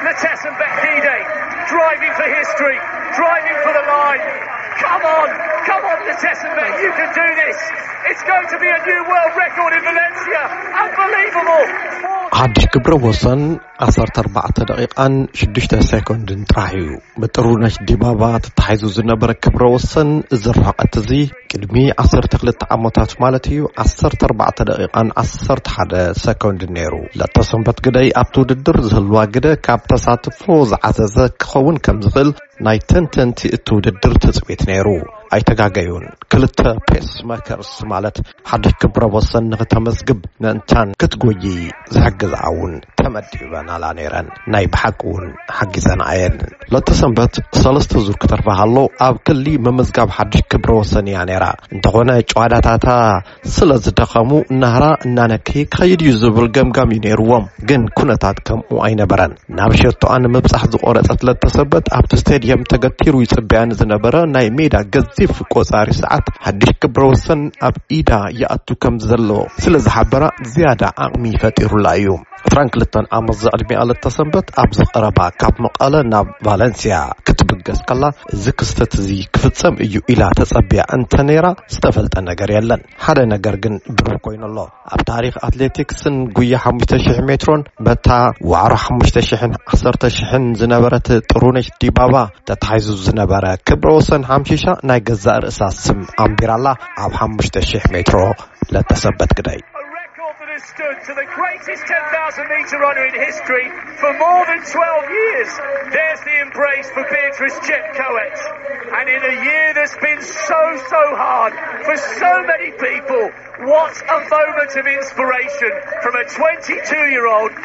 Letesenbet Gide, driving for history, driving for the line. Come on, come on, Letesenbet, you can do this. It's going to be a new world record in Valencia. Unbelievable. ሓድሽ ክብረ ወሰን ዓሰርተ ኣርባዕተ ደቂቓን ሽዱሽተ ሴኮንድን ጥራሕ እዩ። ብጥሩነሽ ዲባባ ተታሒዙ ዝነበረ ክብረ ወሰን እዚ ርሕቐት እዚ ቅድሚ ዓሰርተ ክልተ ዓመታት ማለት እዩ ዓሰርተ ኣርባዕተ ደቂቓን ዓሰርተ ሓደ ሰኮንድ ነይሩ። ለተሰንበት ግደይ ኣብቲ ውድድር ዝህልዋ ግደ ካብ ተሳትፎ ዝዓዘዘ ክኸውን ከም ዝኽእል ናይ ተንተንቲ እቲ ውድድር ትጽቢት ነይሩ። ኣይተጋገዩን። ክልተ ፔስ መከርስ ማለት ሓድሽ ክብረ ወሰን ንክተመዝግብ ምእንታን ክትጎይ ዝሕግዝኣ እውን ተመዲበናላ ነይረን። ናይ ብሓቂ እውን ሓጊዘንኣ እየን። ለተሰንበት ሰለስተ ዙር ክተርፋ ሃሎ ኣብ ክሊ ምምዝጋብ ሓድሽ ክብረ ወሰን እያ ነይራ። እንተኾነ ጨዋዳታታ ስለ ዝደኸሙ ናህራ እናነከየ ክኸይድ እዩ ዝብል ገምጋም እዩ ነይርዎም። ግን ኩነታት ከምኡ ኣይነበረን። ናብ ሸቶኣ ንምብጻሕ ዝቖረጸት ለተሰንበት ኣብቲ ስቴድየም ተገቲሩ ይጽበያ ንዝነበረ ናይ ሜዳ ገዚፍ ቆጻሪ ሰዓት ሓድሽ ክብረ ወሰን ኣብ ኢዳ ይኣቱ ከም ዘሎ ስለ ዝሓበራ ዝያዳ ዓቕሚ ፈጢሩላ እዩ። ዕስራን ክልተን ዓመት ዘዕድሚኣ ለተሰንበት ኣብዚ ቀረባ ካብ መቐለ ናብ ቫለንሲያ ክትብገስ ከላ እዚ ክስተት እዚ ክፍጸም እዩ ኢላ ተጸብያ እንተ ነይራ ዝተፈልጠ ነገር የለን። ሓደ ነገር ግን ብሩህ ኮይኑ ኣሎ። ኣብ ታሪኽ ኣትሌቲክስን ጉያ ሓሙሽተ ሽሕ ሜትሮን በታ ዋዕሮ ሓሙሽተ ሽሕን ዓሰርተ ሽሕን ዝነበረት ጥሩነሽ ዲባባ ተታሒዙ ዝነበረ ክብረ ወሰን ሓምሺሻ ናይ ገዛእ ርእሳ ስም ኣንቢራላ ኣብ ሓሙሽተ ሽሕ ሜትሮ ለተሰንበት ግደይ። A record that has stood to the greatest ten thousand metre runner in history for more than twelve years. There's the embrace for Beatrice Chepkoech. And in a year that's been so, so hard for so many people, what a moment of inspiration from a twenty-two-year-old.